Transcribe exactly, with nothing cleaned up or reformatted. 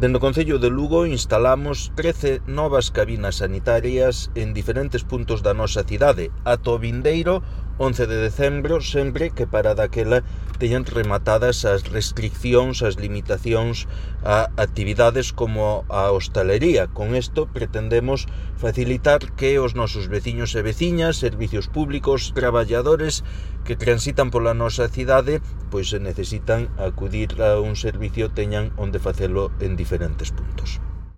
Dende o Concello de Lugo instalamos trece novas cabinas sanitarias en diferentes puntos da nosa cidade, ata o vindeiro once de decembro, sempre que para daquela teñan rematadas as restriccións, as limitacións a actividades como a hostalería. Con isto pretendemos facilitar que os nosos veciños e veciñas, servicios públicos, traballadores que transitan pola nosa cidade, pois se necesitan acudir a un servicio teñan onde facelo en diferentes puntos.